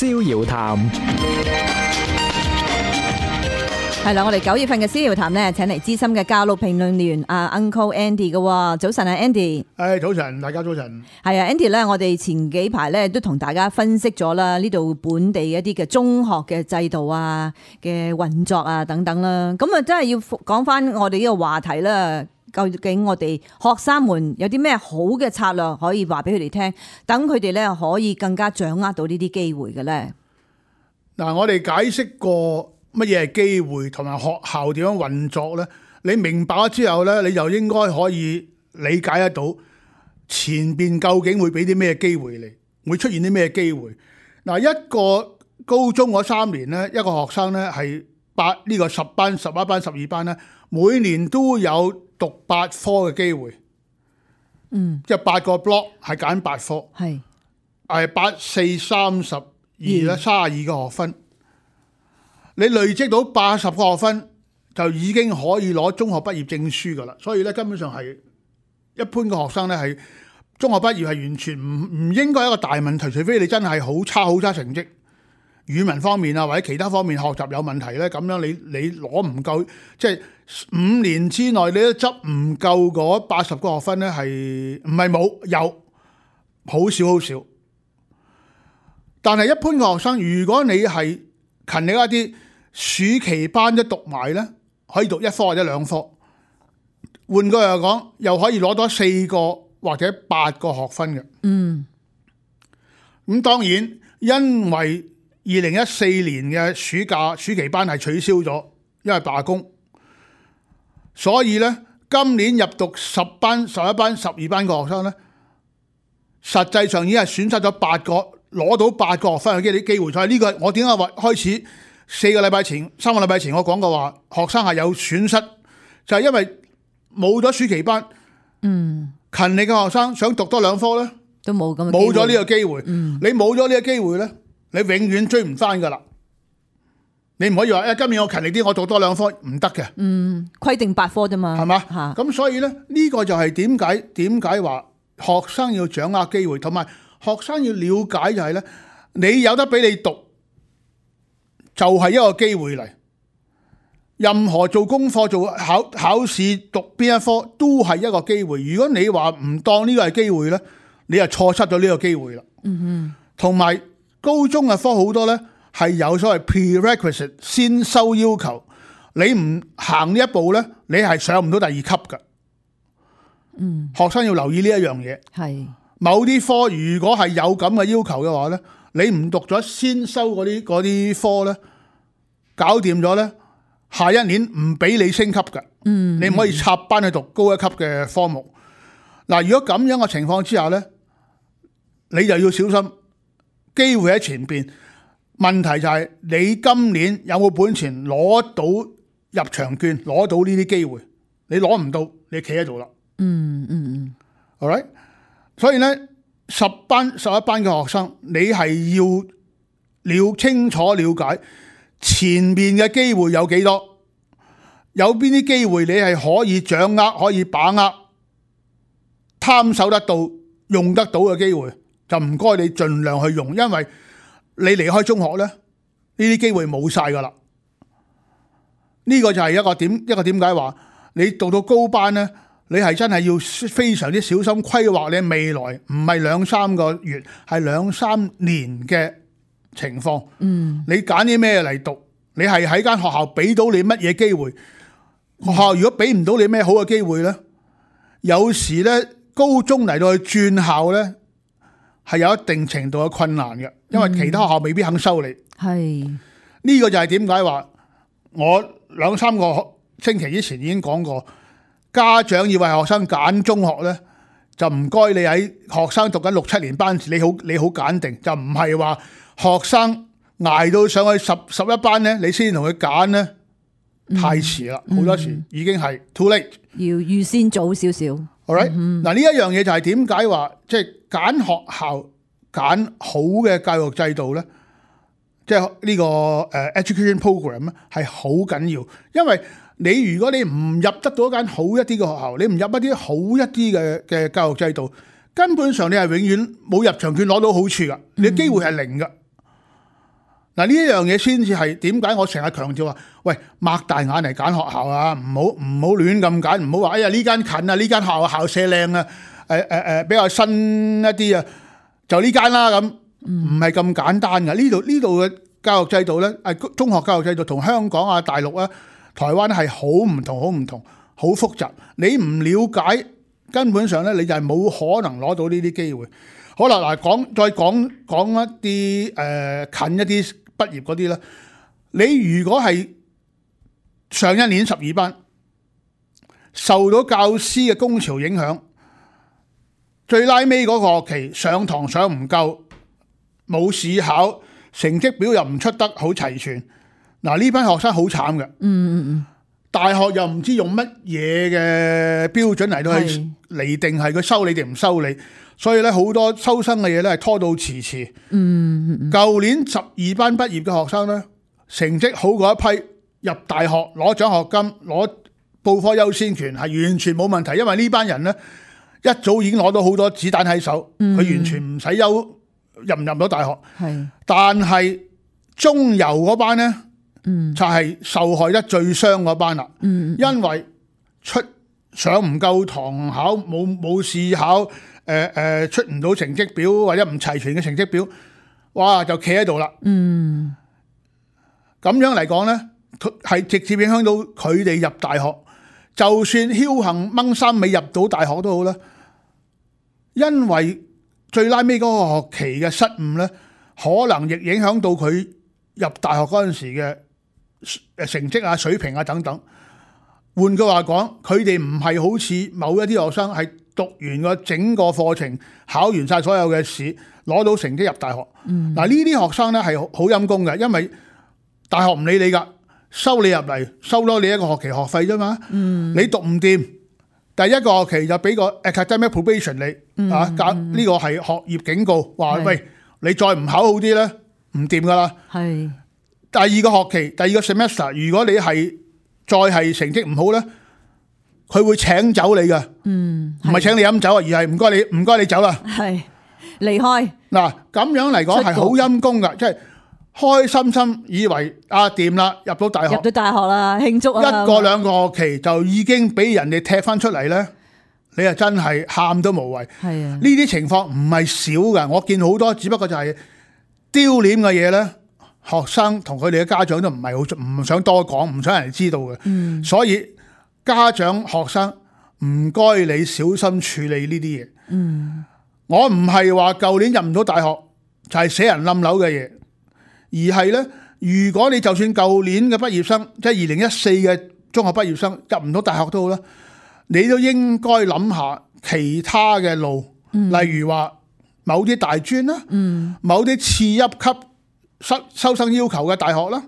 逍遙談。係啦，我哋9月份嘅逍遙談呢，請嚟資深嘅教育評論員Uncle Andy 嘅。早晨啊 Andy。早晨，大家早晨。係啊 Andy 咧，我哋前幾排咧都同大家分析咗啦，呢度本地一啲嘅中學嘅制度啊嘅運作啊等等啦。咁啊，真係要講翻我哋呢個話題啦。究竟我哋學生們有啲咩好嘅策略可以話俾佢哋聽，等佢哋咧可以更加掌握到呢啲機會嘅咧？嗱，我哋解釋過乜嘢係機會，同埋學校點樣運作咧？你明白咗之後咧，你就應該可以理解得到前邊究竟會俾啲咩機會你，會出現啲咩機會。嗱，一個高中嗰3年咧，一個學生咧係呢個10班、11班、12班咧，每年都有讀8科嘅機會。即係8個 block 係揀8科，係8、4、32啦，32個學分。你累積到80個學分，就已經可以攞中學畢業證書噶啦。所以咧，根本上係一般嘅學生咧，係中學畢業係完全唔應該係一個大問題，除非你真係好差成績，語文方面啊或者其他方面學習有問題咧，咁樣你攞唔夠，即係5年之內你都執唔夠嗰80個學分咧，係唔係冇？有，好少。但係一般嘅學生，如果你係勤力一啲，暑期班都讀埋咧，可以讀1科或者2科。換句話講，又可以攞多4個或者8個學分嘅。咁當然，因為2014年嘅暑期班係取消咗，因為罷工，所以咧今年入讀10班、11班、12班嘅學生咧，實際上已經係損失咗8個攞到8個學分嘅機會。所以呢個我點解話開始3個禮拜前我講過話，學生係有損失，就係因為冇咗暑期班，勤力嘅學生想讀多2科咧，都冇咗呢個機會。你冇咗呢個機會咧，你永遠追唔翻噶啦。你唔可以話今年我勤力啲，我讀多2科唔得嘅。規定8科啫嘛，係嘛？咁所以咧，呢個就係點解話學生要掌握機會，同埋學生要了解就係咧，你有得俾你讀，就係一個機會嚟。任何做功課、做考試、讀邊一科都係一個機會。如果你話唔當呢個係機會咧，你就錯失咗呢個機會啦。同埋高中嘅科好多咧係有所謂 prerequisite 先修要求，你唔行呢一步咧，你係上唔到第2級㗎。學生要留意呢一樣嘢。係某啲科如果係有咁嘅要求嘅話咧，你唔讀咗先修嗰啲科咧，搞掂咗咧，下一年唔俾你升級㗎。你唔可以插班去讀高一級嘅科目。嗱，如果咁樣嘅情況之下咧，你就要小心，機會喺前邊。問題就係你今年有冇本錢攞到入場券，攞到呢啲機會？你攞唔到，你企喺度啦。All right？ 所以咧，10班、11班嘅學生，你係要清楚了解前面嘅機會有幾多，有邊啲機會你係可以掌握、可以把握、貪守得到、用得到嘅機會，就唔該你盡量去用，因為你離開中學咧，呢啲機會冇晒噶啦。呢個就係一個點解話你讀到高班咧，你係真係要非常之小心規劃你未來，唔係2-3個月，係2-3年嘅情況。你揀啲咩嚟讀？你係喺間學校俾到你乜嘢機會？學校如果俾唔到你咩好嘅機會咧，有時咧高中嚟到去轉校咧，係有一定程度嘅困難嘅，因為其他學校未必肯收你。呢個就係點解話我2-3個星期之前已經講過，家長要為學生揀中學咧，就唔該你喺學生讀緊6-7年班時，你好揀定，就唔係話學生捱到上去11班咧，你先同佢揀咧，太遲啦。好多時已經係 too late， 要預先早少少。All right？嗱，呢一樣嘢就係點解話即係揀學校揀好嘅教育制度咧，即係呢個education program 咧係好緊要，因為你如果你唔入得到一間好一啲嘅學校，你唔入一啲好一啲嘅教育制度，根本上你係永遠冇入場券攞到好處噶，你機會係零噶。嗱，呢一樣嘢先至係點解我成日強調話，喂，擘大眼嚟揀學校啊，唔好亂咁揀，唔好話哎呀呢間近啊，呢間校舍靚啊，比較新一啲啊，就呢間啦咁，唔係咁簡單嘅。呢度嘅教育制度咧，中學教育制度同香港啊、大陸啊、台灣係好唔同，好複雜。你唔了解，根本上咧你就係冇可能攞到呢啲機會。好啦，嗱，再講一啲近一啲畢業嗰啲啦。你如果係上一年12班受到教師嘅工潮影響，最拉尾嗰個學期上堂上唔夠，冇試考，成績表又唔出得好齊全，嗱，呢班學生好慘嘅。大學又唔知用乜嘢嘅標準嚟到去釐定係佢收你定唔收你，所以咧好多收生嘅嘢咧係拖到遲。舊年12班畢業嘅學生咧，成績好過一批入大學攞獎學金、攞報科優先權係完全冇問題，因為呢班人咧一早已經攞到好多子彈喺手，佢完全唔使憂入唔入到大學。但係中游嗰班咧，就係受害得最傷嗰班啦。因為上唔夠堂考，冇試考，出唔到成績表或者唔齊全嘅成績表，哇就企喺度啦。咁樣嚟講咧，係直接影響到佢哋入大學。就算僥倖掹三尾入到大學都好啦，因為最拉尾嗰個學期嘅失誤咧，可能亦影響到佢入大學嗰陣時嘅成績啊、水平啊等等。換句話講，佢哋唔係好似某一啲學生係讀完個整個課程，考完晒所有嘅試，攞到成績入大學。嗱，呢啲學生咧係好陰功嘅，因為大學唔理你噶，收你入嚟，收多你一個學期學費啫嘛。你讀唔掂，第一個學期就俾個 academic probation 你，呢個係學業警告，話喂，你再唔考好啲咧，唔掂噶啦。第二個學期，第二個 semester， 如果你係再係成績唔好咧，佢會請走你嘅，唔係請你飲酒啊，而係唔該你走啦，離開。嗱，咁樣嚟講係好陰功噶，即係開心以為掂啦，入到大學啦，慶祝啊！一個兩個學期就已經俾人哋踢翻出嚟咧，你啊真係喊都無謂。呢啲情況唔係少噶，我見好多，只不過就係丟臉嘅嘢咧。學生同佢哋嘅家長都唔想多講，唔想人哋知道嘅。所以家長學生唔該你小心處理呢啲嘢。我唔係話舊年入唔到大學就係死人冧樓嘅嘢，而係咧，如果你就算舊年嘅畢業生，即係2014嘅中學畢業生入唔到大學都好啦，你都應該諗下其他嘅路，例如話某啲大專啦，某啲次一級收生要求嘅大學啦，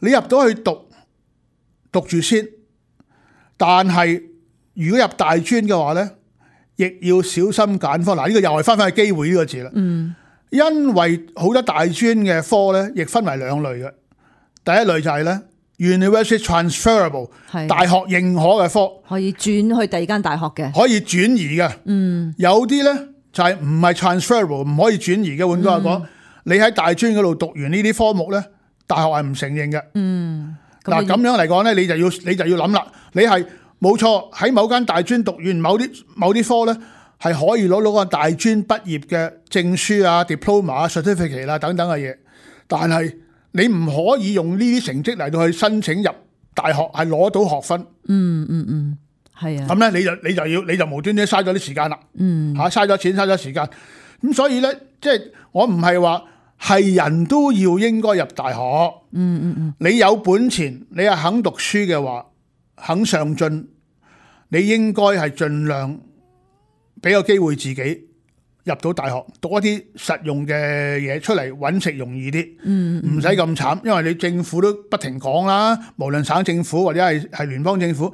你入到去讀住先。但係如果入大專嘅話咧，亦要小心揀科。嗱，呢個又係翻去機會呢個字啦。因為好多大專嘅科咧，亦分為兩類嘅。第一類就係咧 University Transferable， 大學認可嘅科，可以轉去第二間大學嘅，可以轉移嘅。有啲咧就係唔係 transferable， 唔可以轉移嘅。換句話講，你喺大專嗰度讀完呢啲科目咧，大學係唔承認嘅。嗱，咁樣嚟講咧，你就要諗啦。你係冇錯喺某間大專讀完某啲科咧，係可以攞到個大專畢業嘅證書啊、diploma 啊、certificate 啦等等嘅嘢。但係你唔可以用呢啲成績嚟到去申請入大學，係攞到學分。係啊。咁咧，你就無端端嘥咗啲時間啦。嘥咗錢，嘥咗時間。咁所以咧，即係我唔係話係人都要應該入大學。你有本錢，你係肯讀書嘅話，肯上進，你應該係盡量俾個機會自己入到大學，讀一啲實用嘅嘢出嚟，揾食容易啲，唔使咁慘。因為你政府都不停講啦，無論省政府或者係聯邦政府，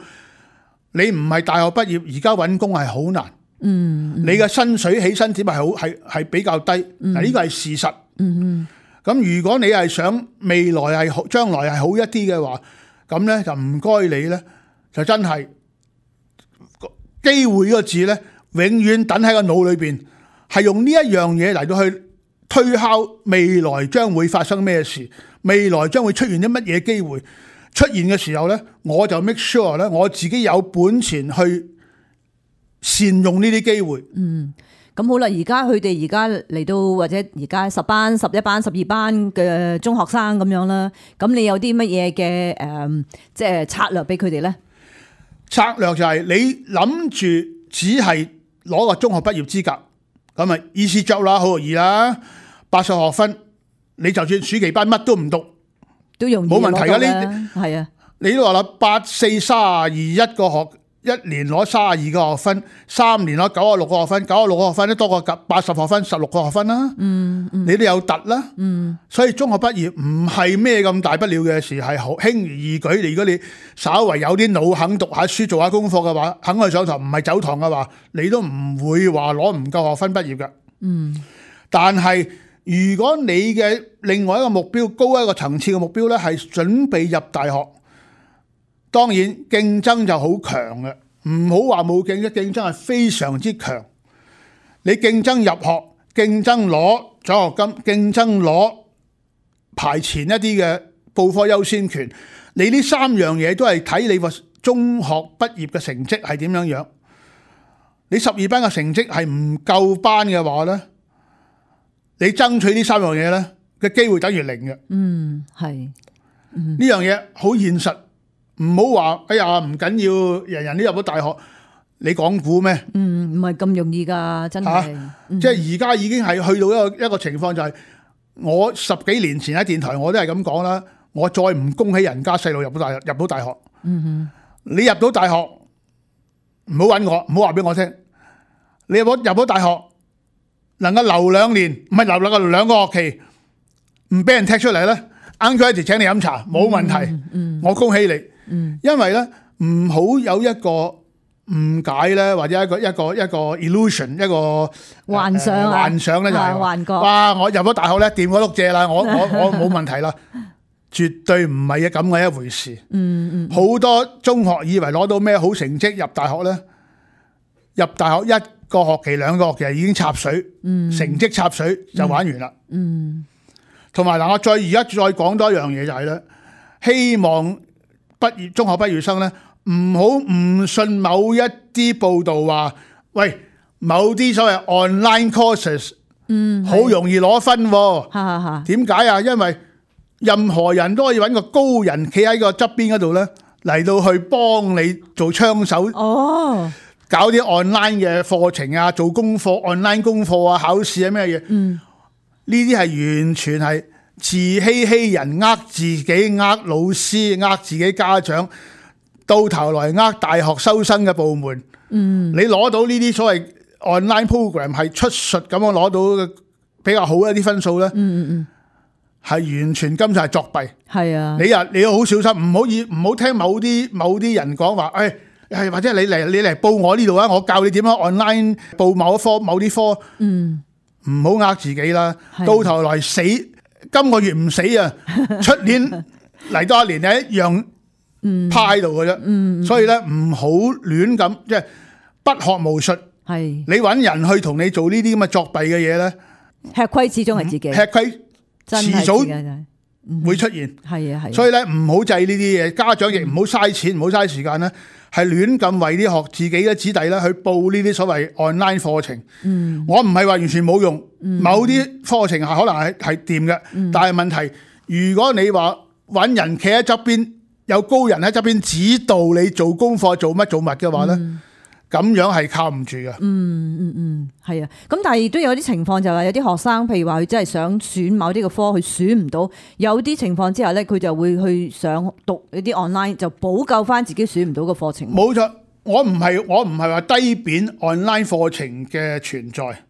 你唔係大學畢業，而家揾工係好難。你嘅薪水起薪點係比較低，嗱，呢個係事實。咁如果你係想未來係將來係好一啲嘅話，咁咧就唔該你咧，就真係機會呢個字咧，永遠等喺個腦裏邊，係用呢一樣嘢嚟到去推敲未來將會發生咩事，未來將會出現啲乜嘢機會出現嘅時候呢，我就 make sure 咧，我自己有本錢去善用呢啲機會。咁好啦，而家佢哋而家嚟到或者而家10班、11班、12班嘅中學生咁樣啦，咁你有啲乜嘢嘅即係策略俾佢哋咧？策略就係你諗住只係攞個中學畢業資格，咁啊 easy job 啦，好容易啦，80學分，你就算暑期班乜都唔讀都容易冇問題㗎。呢係啊，你都話啦，8、4、32一個學。1年攞32個學分，3年攞96個學分，96個學分都多過80學分，16個學分啦。你都有突啦。所以中學畢業唔係咩咁大不了嘅事，係好輕而易舉。如果你稍為有啲腦肯讀下書、做下功課嘅話，肯去上堂，唔係走堂嘅話，你都唔會話攞唔夠學分畢業嘅。但係如果你嘅另外一個目標，高一個層次嘅目標咧，係準備入大學。當然競爭就好強嘅，唔好話冇競爭，競爭係非常之強。你競爭入學，競爭攞獎學金，競爭攞排前一啲嘅報科優先權，你呢3樣嘢都係睇你個中學畢業嘅成績係點樣樣。你12班嘅成績係唔夠班嘅話呢，你爭取呢3樣嘢呢嘅機會等於零嘅。係呢樣嘢好現實。唔好話，哎呀唔緊要，人人都入到大學，你講估咩？唔係咁容易㗎，真係。即係而家已經係去到一個情況，就係我10幾年前喺電台我都係咁講啦。我再唔恭喜人家細路入到大學。你入到大學，唔好揾我，唔好話俾我聽。你入到大學，能夠留2年，唔係留2個學期，唔俾人踢出嚟咧，Uncle Eddie請你飲茶冇問題。我恭喜你。因為咧唔好有一個誤解咧，或者一個 illusion， 一個幻想咧就係幻覺。哇！我入咗大學咧，掂嗰碌蔗啦，我冇問題啦，絕對唔係咁嘅一回事。好多中學以為攞到咩好成績入大學咧，入大學1個學期、2個學期已經插水，成績插水就玩完啦。同埋嗱，我而家再講多一樣嘢就係咧，希望中學畢業生咧，唔好誤信某一啲報道話，喂，某啲所謂 online courses，好容易攞分喎。點解啊？因為任何人都可以揾個高人企喺個側邊嗰度咧，嚟到去幫你做槍手。搞啲 online 嘅課程啊，做功課 online 功課啊，考試啊咩嘢？呢啲係完全係自欺人，呃自己，呃老師，呃自己家長，到頭來呃大學收生嘅部門。你攞到呢啲所謂 online program 係出術咁樣攞到比較好一啲分數咧，係完全今次係作弊。係啊，你要好小心，唔好聽某啲人講話，或者你嚟報我呢度啊，我教你點樣 online 報某啲科，唔好呃自己啦。到頭來死。今個月唔死啊，出年嚟多1年你一樣趴喺度嘅啫。所以咧唔好亂咁，即係不學無術。你揾人去同你做呢啲咁嘅作弊嘅嘢咧，吃虧始終係自己，吃虧遲早會出現。所以咧唔好制呢啲嘢，家長亦唔好嘥錢，唔好嘥時間咧，係亂咁為啲自己嘅子弟咧去報呢啲所謂 online 課程。我唔係話完全冇用，某啲課程係可能係掂嘅，但係問題，如果你話揾人企喺側邊，有高人喺側邊指導你做功課做乜嘅話咧，咁樣係靠唔住嘅。係啊。咁但係亦都有啲情況就係有啲學生，譬如話佢真係想選某啲嘅科，佢選唔到，有啲情況之下咧，佢就會去想讀一啲 online，就補救翻自己選唔到嘅課程。冇錯，我唔係話低貶 online 課程嘅存在。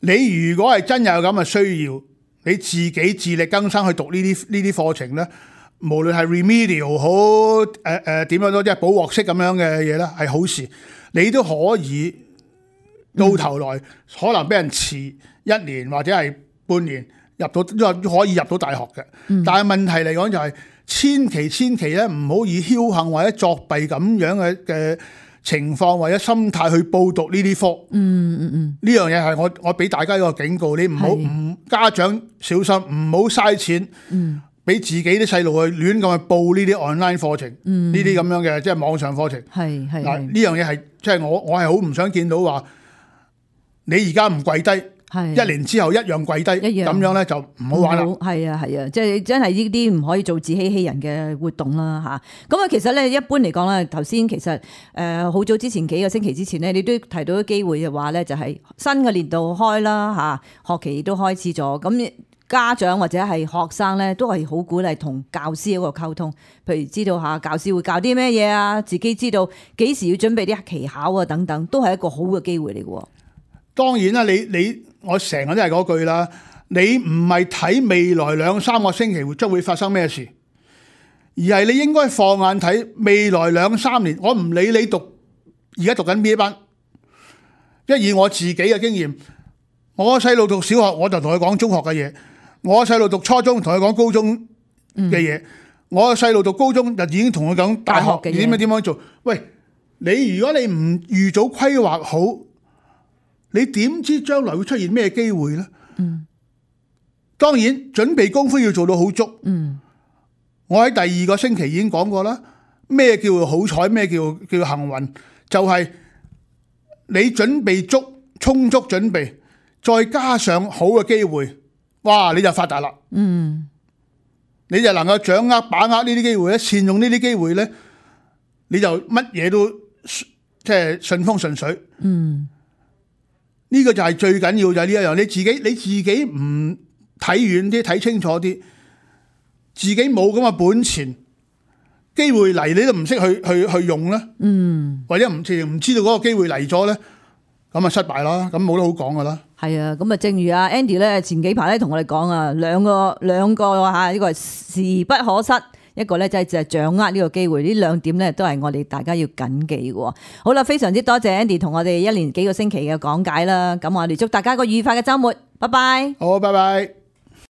你如果係真有咁嘅需要，你自己自力更生去讀呢啲課程咧，無論係 remedial 好點樣都即係補鑊式咁樣嘅嘢咧，係好事。你都可以到頭來可能俾人遲1年或者係半年入到，都可以入到大學嘅。但係問題嚟講就係千祈咧唔好以僥倖或者作弊咁樣嘅情況或者心態去報讀呢啲科。呢樣嘢係我俾大家一個警告，你唔好家長小心，唔好嘥錢，俾自己啲細路去亂咁去報呢啲 online 課程，呢啲咁樣嘅即係網上課程。係嗱，呢樣嘢係即係我係好唔想見到話你而家唔跪低。一年之後一樣跪低，咁樣咧就唔好玩啦。係啊，即係真係呢啲唔可以做自欺欺人嘅活動啦嚇。咁啊，其實咧一般嚟講咧，頭先其實好早之前幾個星期之前咧，你都提到啲機會嘅話咧，就係新嘅年度開啦嚇，學期都開始咗。咁家長或者係學生咧，都係好鼓勵同教師一個溝通，譬如知道下教師會教啲咩嘢啊，自己知道幾時要準備啲期考啊等等，都係一個好嘅機會嚟嘅。當然啦，我成日都係嗰句啦，你唔係睇未來2-3個星期將會發生咩事，而係你應該放眼睇未來2-3年。我唔理你而家讀緊邊一班，因為以我自己嘅經驗，我細路讀小學我就同佢講中學嘅嘢，我細路讀初中同佢講高中嘅嘢，我細路讀高中就已經同佢講大學嘅嘢點樣做。喂，如果你唔預早規劃好，你點知將來會出現咩機會呢？當然準備功夫要做到好足。我喺第2個星期已經講過啦，咩叫好彩，咩叫幸運，就係你準備充足準備，再加上好嘅機會，哇！你就發達啦。你就能夠掌握把握呢啲機會咧，善用呢啲機會咧，你就乜嘢都即係順風順水。呢個就係最緊要就係呢一樣，你自己唔睇遠啲，睇清楚啲，自己冇咁嘅本錢，機會嚟你都唔識去用咧，或者唔知道嗰個機會嚟咗咧，咁啊失敗啦，咁冇得好講噶啦。係啊，咁啊，正如阿 Andy 咧前幾排咧同我哋講啊，兩個嚇，呢個係時不可失。一個咧就係掌握呢個機會，呢2點咧都係我哋大家要謹記嘅。好啦，非常之多謝 Andy 同我哋1年幾個星期嘅講解啦。咁我哋祝大家個愉快嘅週末，拜拜。好，拜拜。